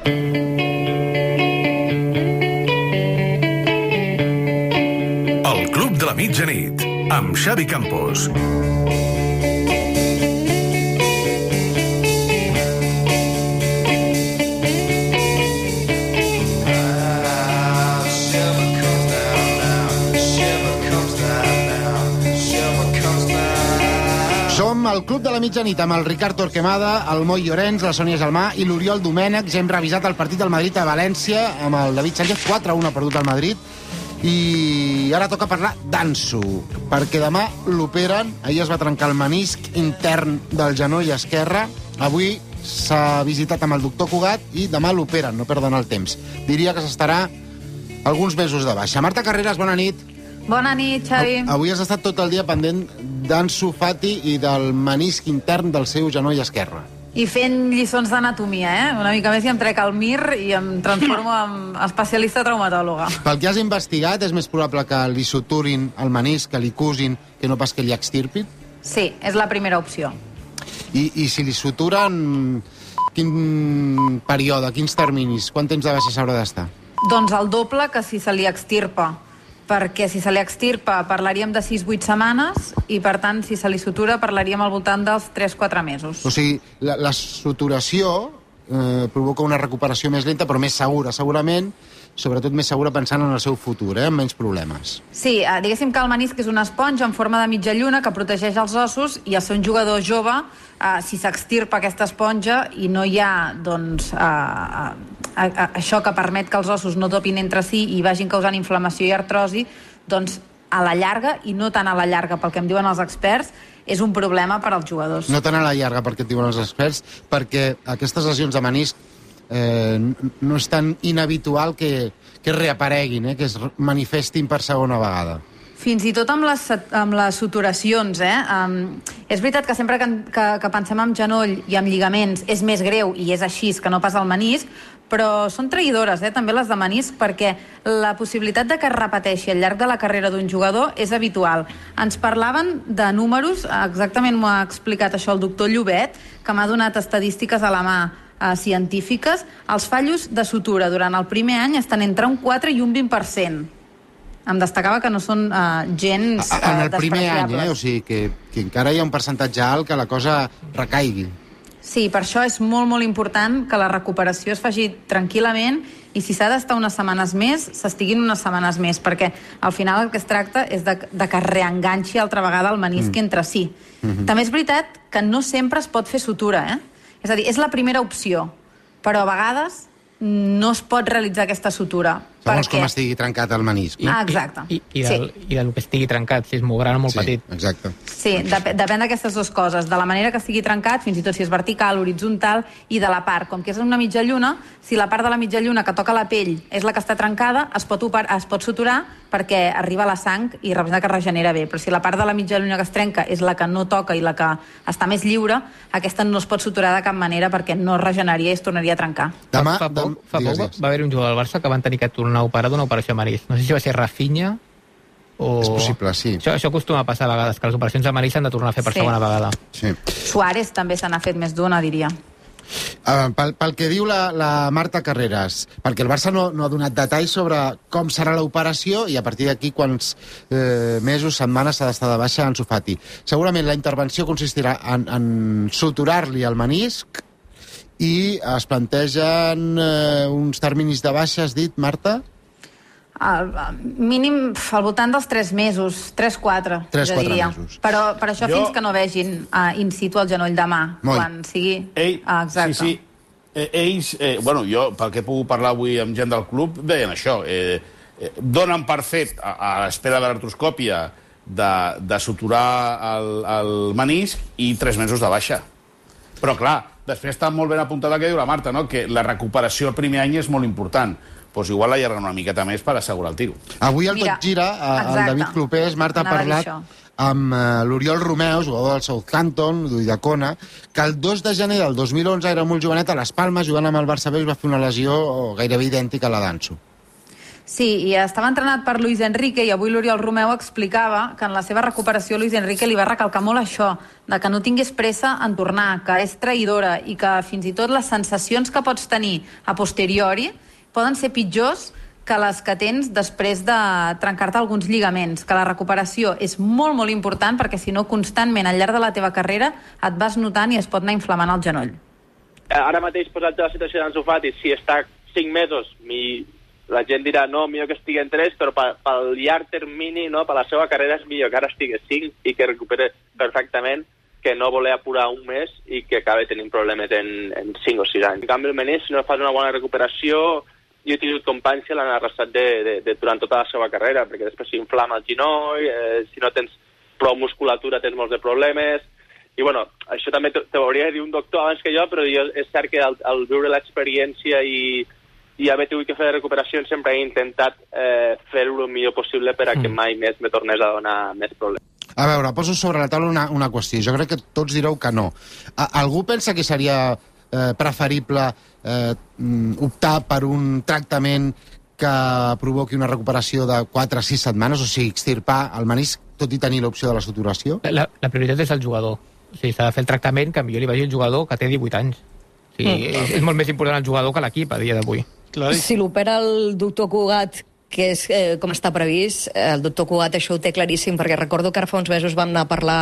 El Club de la Mitjanit, amb Xavi Campos. Som al Club de la Mitjanit amb el Ricard Torquemada, el Moi Llorenç, la Sònia Gelmà i l'Oriol Domènech. Ja hem revisat el partit del Madrid a València amb el David Sánchez, 4-1 ha perdut el Madrid. I ara toca parlar d'Ansu, perquè demà l'operen. Ahir es va trencar el menisc intern del genoll esquerre. Avui s'ha visitat amb el doctor Cugat i demà l'operen, no perden el temps. Diria que s'estarà alguns mesos de baixa. Marta Carreras, bona nit. Bona nit, Xavi. Avui has estat tot el dia pendent d'Ansu Fati i del menisc intern del seu genoll esquerre. I fent lliçons d'anatomia, Una mica més i em trec el MIR i em transformo en especialista traumatòloga. Pel que has investigat, és més probable que li suturin el menisc, que li cusin, que no pas que li extirpin? Sí, és la primera opció. I si li suturen, quin període, quins terminis, quant temps de baixa s'haurà d'estar? Doncs el doble que si se li extirpa, perquè si se li extirpa parlaríem de 6-8 setmanes i, per tant, si se li sutura parlaríem al voltant dels 3-4 mesos. O sigui, la suturació provoca una recuperació més lenta, però més segura, segurament, sobretot més segura pensant en el seu futur, amb menys problemes. Sí, diguéssim que el menisc és una esponja en forma de mitja lluna que protegeix els ossos i al ser un jugador jove, si s'extirpa aquesta esponja i no hi ha, doncs, això que permet que els ossos no topin entre si i vagin causant inflamació i artrosi, doncs a la llarga, i no tant a la llarga pel que em diuen els experts, és un problema per als jugadors. No tant a la llarga perquè et diuen els experts, perquè aquestes lesions de menisc no és tan inhabitual que reapareguin, que es manifestin per segona vegada. Fins i tot amb les suturacions, és veritat que sempre que pensem en genoll i en lligaments és més greu, i és així, que no pas el menisc, però són traïdores, també les de menisc, perquè la possibilitat de que es repeteixi al llarg de la carrera d'un jugador és habitual. Ens parlaven de números, exactament m'ho ha explicat això el doctor Llobet, que m'ha donat estadístiques a la mà científiques. Els fallos de sutura durant el primer any estan entre un 4 i un 20%. Em destacava que no són gens despreciables. En el primer any, o sigui que encara hi ha un percentatge alt que la cosa recaigui. Sí, per això és molt, molt important que la recuperació es faci tranquil·lament i si s'ha d'estar unes setmanes més, s'estiguin unes setmanes més, perquè al final el que es tracta és de que es reenganxi altra vegada el menisc entre si. També és veritat que no sempre es pot fer sutura, És a dir, és la primera opció, però a vegades no es pot realitzar aquesta sutura. Segons com estigui trencat el menisc. Exacte. I del que estigui trencat, si és molt gran o molt petit. Exacte. Sí, depèn d'aquestes dues coses, de la manera que estigui trencat, fins i tot si és vertical, horitzontal, i de la part. Com que és una mitja lluna, si la part de la mitja lluna que toca la pell és la que està trencada, es pot suturar perquè arriba la sang i representa que es regenera bé. Però si la part de la mitja lluna que es trenca és la que no toca i la que està més lliure, aquesta no es pot suturar de cap manera perquè no es regeneraria i es tornaria a trencar. Fa poc va haver un jugador del Barça que van tenir que tornar a operar d'una operació a menisc. No sé si va ser Rafinha o... És possible, sí. Això acostuma a passar a vegades, que les operacions de menisc s'han de tornar a fer per segona vegada. Sí. Suárez també se n'ha fet més d'una, diria. Pel que diu la Marta Carreras, perquè el Barça no ha donat detalls sobre com serà l'operació i a partir d'aquí quants mesos, setmanes s'ha d'estar de baixa Ansu Fati. Segurament la intervenció consistirà en suturar-li el menisc i es plantegen uns terminis de baixa, has dit, Marta? Mínim al voltant dels 3 mesos, 3-4, jo diria. mesos. Però per això fins que no vegin in situ el genoll de mà, quan sigui... Exacte. Sí. Ells, jo, pel que he pogut parlar avui amb gent del club, deien això. Donen per fet, a l'espera de l'artroscòpia, de suturar el menisc i 3 mesos de baixa. Però, clar, després està molt ben apuntada que diu la Marta, no? Que la recuperació el primer any és molt important. Doncs igual l'allarguen una miqueta més per assegurar el tiro. Avui al Tot Gira, el David Clopés, Marta ha parlat amb l'Oriol Romeu, jugador del Southampton, d'Uidacona, que el 2 de gener del 2011 era molt jovenet a les Palmes, jugant amb el Barça B, i va fer una lesió gairebé idèntica a la d'Ansu. Sí, i estava entrenat per Luis Enrique i avui l'Oriol Romeu explicava que en la seva recuperació Luis Enrique li va recalcar molt això, de que no tingués pressa en tornar, que és traïdora i que fins i tot les sensacions que pots tenir a posteriori poden ser pitjors que les que tens després de trencar-te alguns lligaments, que la recuperació és molt, molt important perquè si no constantment al llarg de la teva carrera et vas notant i es pot anar inflamant el genoll. Ara mateix, posat la situació d'Ansu Fati, si està 5 mesos, la gent dirà, no, millor que estigui en 3, però pel llarg termini, no, per la seva carrera és millor que ara estigui 5 i que recupere perfectament, que no voler apurar un mes i que acabi tenint problemes en 5 o 6 anys. En canvi, el menís, si no fas una bona recuperació, jo he tingut companys que l'han arrasat durant tota la seva carrera, perquè després s'inflama el genoll, si no tens prou musculatura tens molts de problemes, i bueno, això també t'ho hauria de dir un doctor abans que jo, però és cert que al viure l'experiència i haver tingut que fer recuperacions sempre he intentat fer-ho el millor possible per a que mai més me tornés a donar més problemes. A veure, poso sobre la taula una qüestió. Jo crec que tots direu que no. Algú pensa que seria preferible optar per un tractament que provoqui una recuperació de 4 a 6 setmanes, o sigui, extirpar el menisc, tot i tenir l'opció de la suturació? La prioritat és el jugador. O sigui, s'ha de fer el tractament que millor li vagi el jugador que té 18 anys. O sigui, és molt més important el jugador que l'equip a dia d'avui. Si l'opera el doctor Cugat, que és com està previst, el doctor Cugat això ho té claríssim, perquè recordo que ara fa uns mesos vam anar a parlar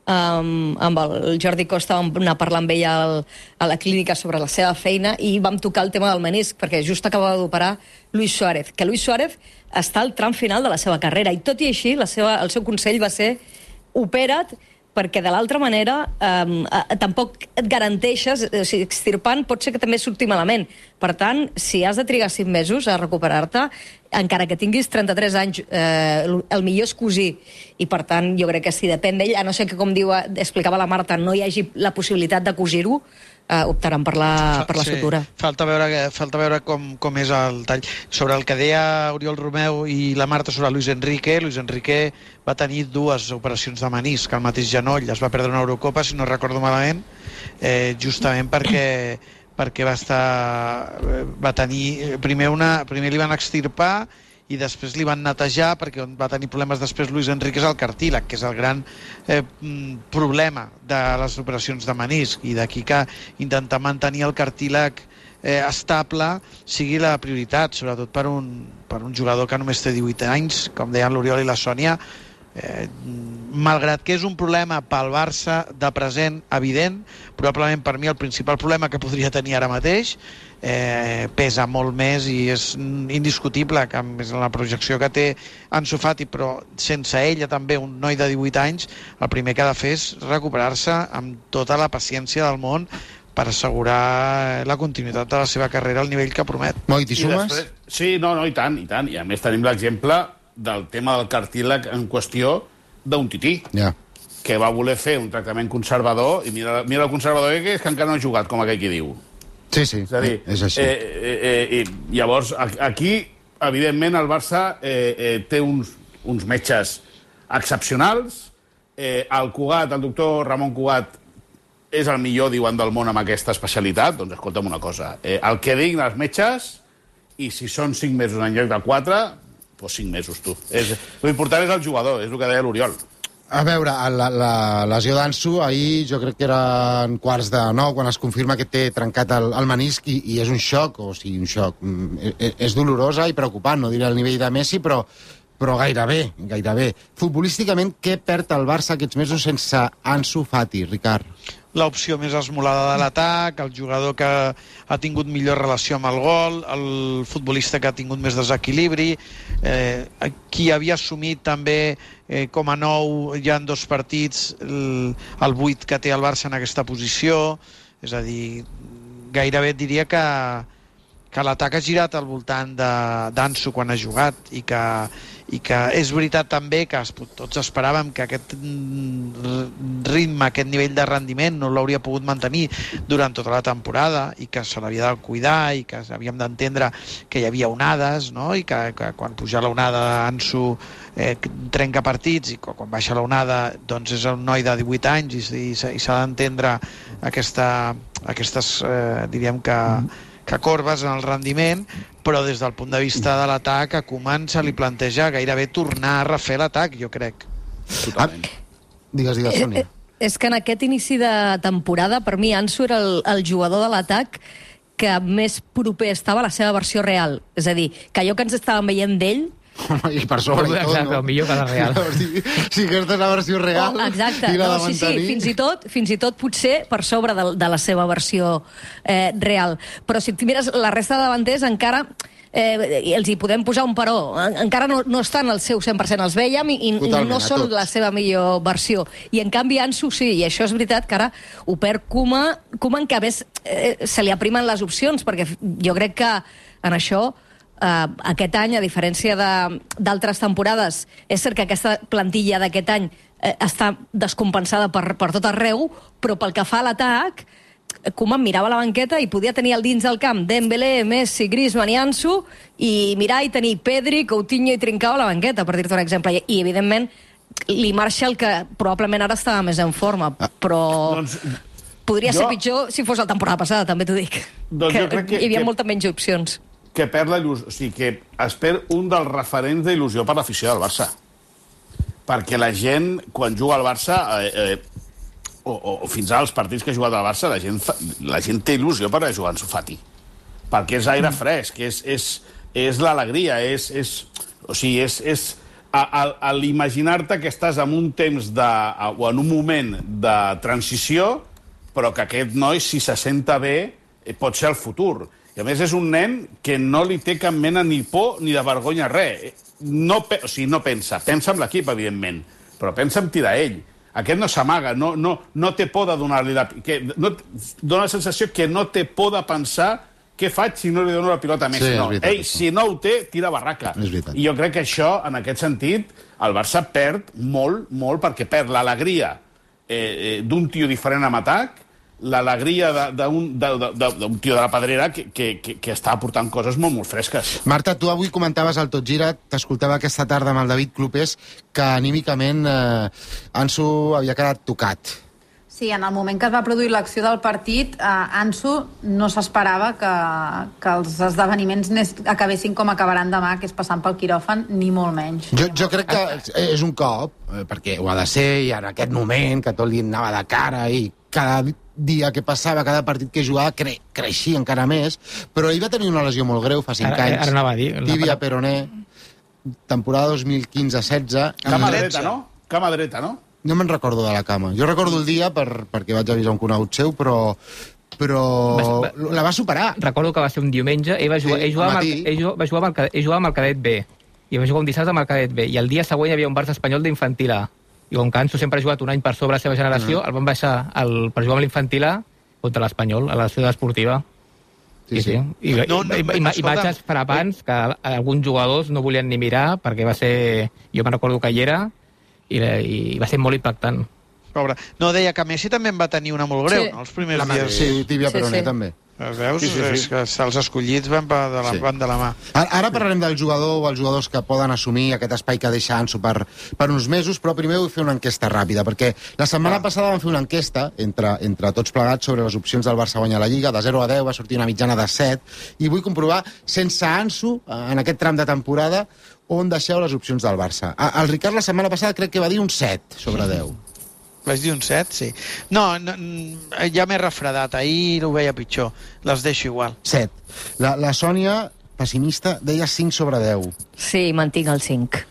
amb el Jordi Costa, vam anar a parlar amb ell a la clínica sobre la seva feina i vam tocar el tema del menisc, perquè just acabava d'operar Luis Suárez, que Luis Suárez està al tram final de la seva carrera, i tot i així el seu consell va ser opera't, perquè de l'altra manera tampoc et garanteixes, o sigui, extirpant pot ser que també surti malament. Per tant, si has de trigar 5 mesos a recuperar-te, encara que tinguis 33 anys, el millor és cosir. I per tant, jo crec que si depèn d'ell, a no ser que, com explicava la Marta, no hi hagi la possibilitat de cosir-ho, optaran per la sutura. Falta veure com és el tall. Sobre el que deia Oriol Romeu i la Marta sobre Luis Enrique va tenir 2 operacions de menisc al mateix genoll, es va perdre una Eurocopa, si no recordo malament, justament perquè va tenir primer li van extirpar i després li van netejar, perquè on va tenir problemes després Luis Enrique és el cartílag, que és el gran problema de les operacions de menisc, i d'aquí que intentar mantenir el cartílag estable sigui la prioritat, sobretot per un jugador que només té 18 anys, com deien l'Oriol i la Sònia. Malgrat que és un problema pel Barça de present evident, probablement per mi el principal problema que podria tenir ara mateix, pesa molt més i és indiscutible que és la projecció que té Ansu Fati, però sense ella també un noi de 18 anys, el primer que ha de fer és recuperar-se amb tota la paciència del món per assegurar la continuïtat de la seva carrera al nivell que promet. Moi, t'hi sumes? Sí, no, i tant. I a més tenim l'exemple del tema del cartílag en qüestió d'un tití, que va voler fer un tractament conservador, i mira el conservador que és que encara no ha jugat, com aquell qui diu. Sí, és a dir, és així. Llavors, aquí, evidentment, el Barça té uns metges excepcionals. El doctor Ramon Cugat, és el millor, diuen, del món amb aquesta especialitat. Doncs escolta'm una cosa, el que diguin els metges, i si són 5 mesos en lloc de 4, doncs 5 mesos, tu. L'important és el jugador, és el que deia l'Oriol. A veure, la lesió d'Ansu, ahir jo crec que eren 8:45 quan es confirma que té trencat el menisc, i és un xoc, o sigui, un xoc. És dolorosa i preocupant, no diré al nivell de Messi, però gairebé. Futbolísticament, què perd el Barça aquests mesos sense Ansu Fati, Ricard? L'opció més esmolada de l'atac, el jugador que ha tingut millor relació amb el gol, el futbolista que ha tingut més desequilibri, qui havia assumit també com a nou ja en 2 partits el buit que té el Barça en aquesta posició. És a dir, gairebé et diria que l'atac ha girat al voltant d'Ansu quan ha jugat, i que és veritat també que tots esperàvem que aquest ritme, aquest nivell de rendiment no l'hauria pogut mantenir durant tota la temporada, i que se l'havia de cuidar, i que havíem d'entendre que hi havia onades, no? I que quan puja l'onada Ansu trenca partits, i quan baixa l'onada doncs és un noi de 18 anys, i s'ha d'entendre aquestes diríem que que corbes en el rendiment, però des del punt de vista de l'atac a Koeman se li planteja gairebé tornar a refer l'atac, jo crec. Totalment. Digues, Sònia. És que en aquest inici de temporada, per mi, Ansu era el jugador de l'atac que més proper estava a la seva versió real. És a dir, que allò que ens estàvem veient d'ell... Home, i per sobre i tot, exacte, no? millor que la real. Si aquesta és la versió real exacte. i la de Sí, mantenir... fins i tot potser per sobre de la seva versió real. Però si et mires la resta de davanters, encara... els hi podem posar un però. Encara no estan al seu 100%, els veiem i no són la seva millor versió. I en canvi Ansu sí, i això és veritat que ara ho perd Koeman, que a més se li aprimen les opcions, perquè jo crec que en això aquest any, a diferència d'altres temporades, és cert que aquesta plantilla d'aquest any està descompensada per tot arreu, però pel que fa a l'atac, Koeman mirava la banqueta i podia tenir al dins del camp Dembélé, Messi, Griezmann i Ansu, i mirar i tenir Pedri, Coutinho i Trincao a la banqueta, per dir-te un exemple. I, evidentment, li marxa el que probablement ara estava més en forma, però podria ser pitjor si fos la temporada passada, també t'ho dic. Jo crec que hi havia molta menys opcions. Que perd la il·lusió, o sigui, que es perd un dels referents d'il·lusió per l'afició del Barça. Perquè la gent, quan juga al Barça... o fins als partits que ha jugat al Barça, la gent té il·lusió per jugar en Ansu Fati. Perquè és aire fresc, és l'alegria, o sigui, és a l'imaginar-te que estàs en un temps o en un moment de transició, però que aquest noi, si se senta bé, pot ser el futur. I a més és un nen que no li té cap mena ni por ni de vergonya res. O sigui, no pensa en l'equip, evidentment, però pensa en tirar ell. Aquest no s'amaga, no té por de donar-li dona la sensació que no té por de pensar què faig si no li dono la pilota més. Sí, no. veritat, Ell, si no ho té, tira barraca. I jo crec que això, en aquest sentit, el Barça perd molt, molt, perquè perd l'alegria d'un tio diferent amb atac, l'alegria d'un tio de la Pedrera que està aportant coses molt, molt fresques. Marta, tu avui comentaves al Tot Gira, t'escoltava aquesta tarda amb el David Clopés, que anímicament Ansu havia quedat tocat. Sí, en el moment que es va produir l'acció del partit, Ansu no s'esperava que els esdeveniments acabessin com acabaran demà, que és passant pel quiròfan, ni molt menys. Jo crec que és un cop, perquè ho ha de ser, i en aquest moment que tot li anava de cara i cada dia que passava, cada partit que jugava, creixia encara més, però ell va tenir una lesió molt greu fa 5 anys. Ara anava a dir. Tibia peroné, temporada 2015-16. Cama dreta, no? Cama dreta, no? No me'n recordo de la cama. Jo recordo el dia perquè vaig avisar un conegut seu, però la va superar. Recordo que va ser un diumenge, ell jugava amb el cadet B, i va jugar un dissabte amb el cadet B, i el dia següent hi havia un Barça espanyol d'infantil A. I com que Ansu sempre ha jugat un any per sobre la seva generació, el van baixar per jugar amb l'infantil A contra l'Espanyol, a la ciutat esportiva. Sí. I imatges frapants que alguns jugadors no volien ni mirar, perquè va ser... Jo me'n recordo que hi era, i va ser molt impactant. Pobre. No, deia que Messi també en va tenir una molt greu, no? Els primers dies. Sí, tibia peroné també. Veus? Sí. És que els escollits van de la mà. Ara parlarem del jugador o els jugadors que poden assumir aquest espai que deixa Ansu per uns mesos, però primer vull fer una enquesta ràpida, perquè la setmana passada vam fer una enquesta entre tots plegats sobre les opcions del Barça guanyar la Lliga. De 0 a 10 va sortir una mitjana de 7, i vull comprovar, sense Ansu, en aquest tram de temporada, on deixeu les opcions del Barça. El Ricard la setmana passada crec que va dir un 7 sobre 10. Vaig dir un 7, sí. No, ja m'he refredat. Ahir ho veia pitjor. Les deixo igual. 7. La Sònia, pessimista, deia 5 sobre 10. Sí, mantinc el 5.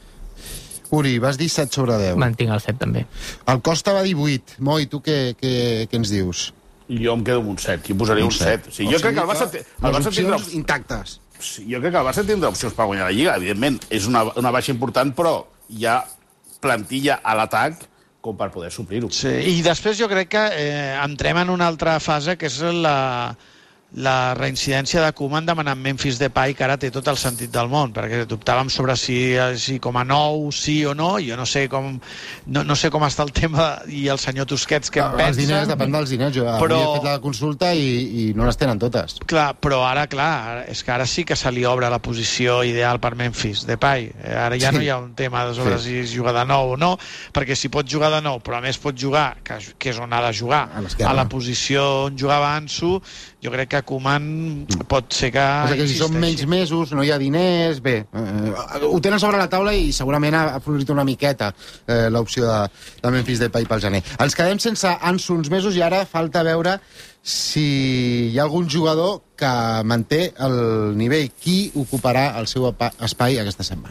Uri, vas dir 7 sobre 10. Mantinc el 7, també. El Costa va dir 8. Moi, tu què ens dius? Jo em quedo amb un 7. Jo posaria un 7. Sí, jo crec que el Barça tindrà intactes. Sí, jo crec que el Barça tindrà opcions per guanyar la Lliga. Evidentment, és una baixa important, però hi ha plantilla a l'atac com per poder suplir-ho. Sí, i després jo crec que entrem en una altra fase, que és la reincidència de Koeman demanant Memphis Depay, que ara té tot el sentit del món, perquè dubtàvem sobre si com a nou sí o no. Jo no sé com està el tema, i el senyor Tusquets què en pensa. Els diners, depèn dels diners. Jo he fet la consulta i no les tenen totes. Clar, però ara, és que ara sí que se li obre la posició ideal per Memphis Depay. Ara ja no hi ha un tema sobre si jugar de nou o no, perquè si pot jugar de nou, però a més pot jugar, que és on ha de jugar, a la posició on jugava Ansu, jo crec que Koeman pot ser que... O sigui que si són menys mesos, no hi ha diners... Bé, ho tenen sobre la taula i segurament ha florit una miqueta l'opció de Memphis Depay pel gener. Ens quedem sense Ansu uns mesos i ara falta veure si hi ha algun jugador que manté el nivell. Qui ocuparà el seu espai aquesta setmana?